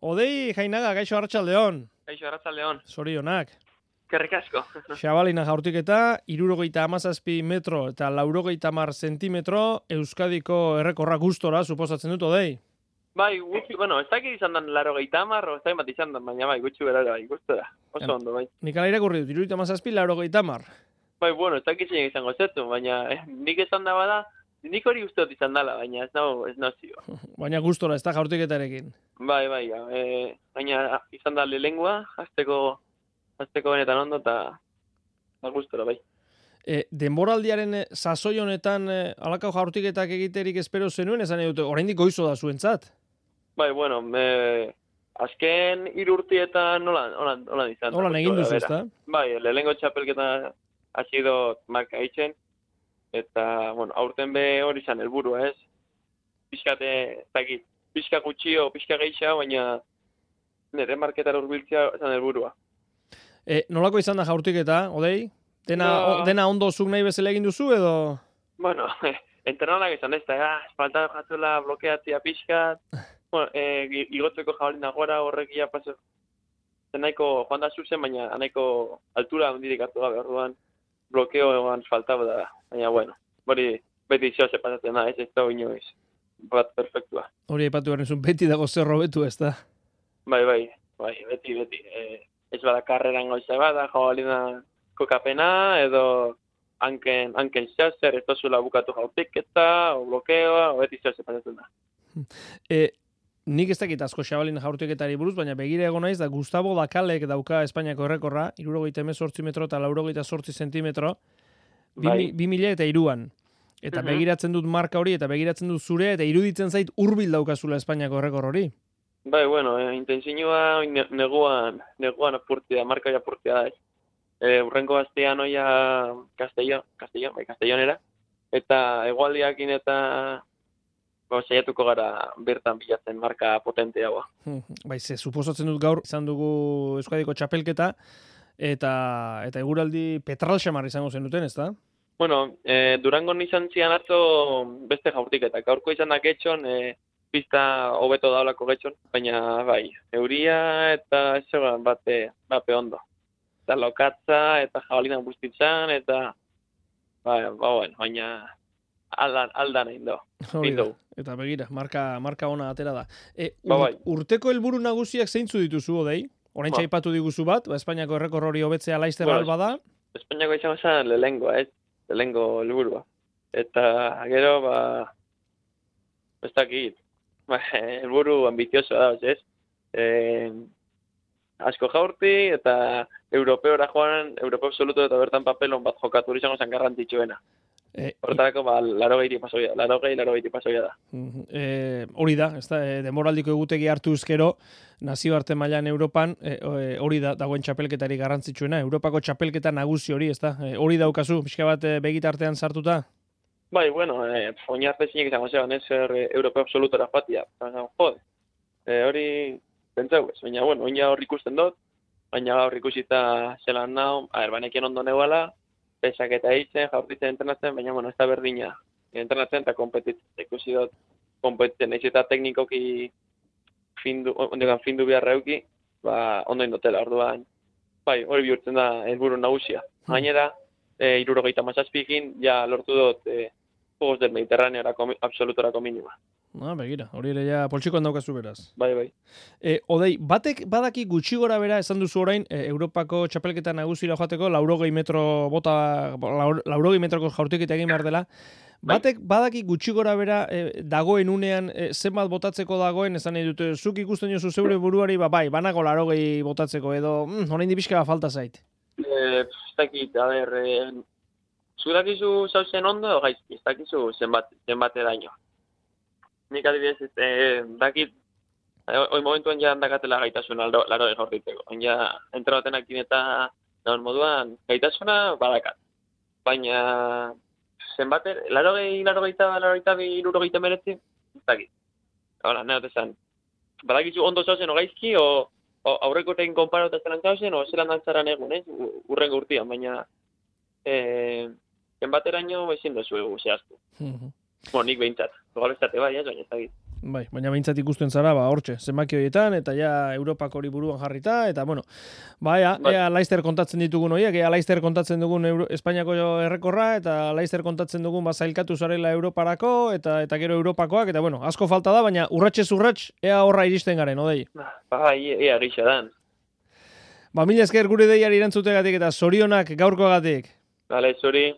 Odei Jainaga, gaixo Arratsaldeon. Kaixo, Arratsaldeon. Zorionak. Kerrik asko. Xabalina jaurtiketa, 77 metro eta 90 zentimetro, Euskadiko errekorra gustora, suposatzen dut, Odei? Bai, gutxi, bueno, ez dakit izan dan 80, ez dakit bat izan dan, baina bai, gutxi berara, bai, gustora. Oso ondo, bai. Nik ala irakurri dut, 77, 90. Bai, bueno, ez dakit zein izango zetu, baina nik esan da bada, nik hori uste dut izan dela, baina ez nau zio. Baina gustora, ez da jaurtiketarekin. Bai, baina izan da lehengua, hasteko benetan ondo, eta gustora, bai. Denboraldiaren sasoi honetan halako jaurtiketak egiterik espero zenuen, esan dute, oraindik goizo da zuentzat? Bai, bueno, azken 3 urtietan nola izan. Holan egin duzu, ezta? Bai, lehengo txapelketa hasi dut marka eitzen, eta, bueno, aurten be hori izan helburua, ez? Pixka gutxio, pixka geisha, baina nire marketara hurbiltzea izan helburua. Nolako izan da jaurtiketa, Odei? Dena ondo zuk nahi bezala egin duzu, edo? Bueno, entrenadak izan ez da, espalta jatuela blokeatzea pixkat, bueno, igotzeko jabalina gora horrek ia paso. Nahiko joan da zuzen, baina nahiko altura handirik hartu gabe, orduan blokeoan faltaba da, baina bueno, hori beti zoze pasatzen da, ez da inoiz bat perfektua. Hori aipatu behar nizun, beti dago zerro betu, ez da? Bai, beti. Ez bada karreran goiza bada, jabalina kokapena, edo hanken zer, ez tozula bukatu jaurtiketa, o blokeoa, o beti zoze pasatzen da. Nik ez dakit asko xabalina jaurtiketari buruz, baina begira egon naiz da Gustavo Dakalek dauka Espainiako errekorra, 78 metro eta 88 zentimetro, 2003an. Eta begiratzen dut marka hori, eta begiratzen dut zure, eta iruditzen zait hurbil daukazula Espainiako errekor hori. Bai, bueno, intensinua neguan apurtia, marka hori apurtia da, ez. Urrenko astean oia Castellonera, eta egualdiakin eta saiatuko gara bertan bilatzen marka potente haua. Bai, suposatzen dut gaur izan dugu Euskadiko txapelketa, eta eguraldi petralxamar izango zen duten, ez da? Bueno, Durangon izan zian atzo beste jaurtiketak. Gaurko izan da getxon, pista hobeto daulako getxon, baina bai, euria eta ez bape ondo. Eta lokatza eta jabalina guztitzan, eta baina aldan egin do. Eta begira, marka ona atera da. Urteko helburu nagusiak zeintzu dituzu, Odei? Oraintxe aipatu diguzu bat, Espainiako errekor hori hobetzea laizter alba da? Espainiako izango zen lehengo helburua. Eta gero, ez dakit, helburu ambizioso da, ez? Asko jaurti, eta europeora joan, europeo absoluto eta bertan papelon bat jokatu hori izango zen garrantzitsuena. Hortarako, 80 pasoia da. Hori da, denboraldiko egutegi hartu ezkero, nazioarte mailan Europan, hori da, dagoen txapelketari garrantzitsuena, Europako txapelketa nagusi hori, ez da? Hori daukazu, pixka bat begitartean sartuta? Bai, bueno, oinarte zinek izango zeban, ez europeo absolutora joatia. Jode, hori pentsau ez, baina, bueno, oina hor ikusten dut, baina gaur ikusita zelan nao, banekien ondo neuala, pesak eta eitzen, jaurtitzen entrenatzen, baina, bueno, ez da berdina. Entrenatzen eta kompetitzen, ikusi dut kompetitzen, ez eta teknikoki findu beharra euki, ondo indotela, orduan, bai, hori bihurtzen da helburu nagusia. Gainera, 77ekin, ja lortu dut Juegos del Mediterraneorako absolutorako minima. Begira, hori ere ja poltsikoan daukazu beraz. Bai. Odei, batek badaki gutxi gora bera, esan duzu orain, Europako txapelketa nagusira joateko, 80 metroko jaurtiketa egin behar dela. Batek badaki gutxi gora bera dagoen unean zenbat botatzeko dagoen, esan nahi dute, zuk ikusten jozu zeure buruari, banago 80 botatzeko, edo orain dipizka falta zait. Ez dakit, zu dakizu zauzen ondo, edo gaizki, ez dakizu zenbat edaino. Nik adibidez, dakit, hoi momentuan ja dakatela gaitasun 80 jaurtitzeko. Ja, entrenatenak eta daun moduan gaitasuna badakat. Baina, zenbater, 80 meretzi, ez dakit. Hala, nahi esan. Badakizu ondo zauzen o gaizki, o aurreko tekin konparauta zelan zauzen, o zelan dantzaran egun, urrengo urtean, baina zenbateraino ezin dozu egu zehaztu. Nik behintzat. Gobal estate bai, baina ez dakit. Bai, baina behintzat ikusten zara, hortxe, zenbaki horietan, eta ja Europak hori buruan jarrita, eta bueno, ea Leicester kontatzen ditugun horiek, ea Leicester kontatzen dugun Espainiako errekorra, eta Leicester kontatzen dugun zailkatu zarela Europarako, eta gero Europakoak, eta bueno, asko falta da, baina urratxez urrats, ea horra iristen garen, odei? Ea gisa dan. Mila esker gure deiari erantzutegatik eta zorionak gaurkoagatik. Bale, zuri.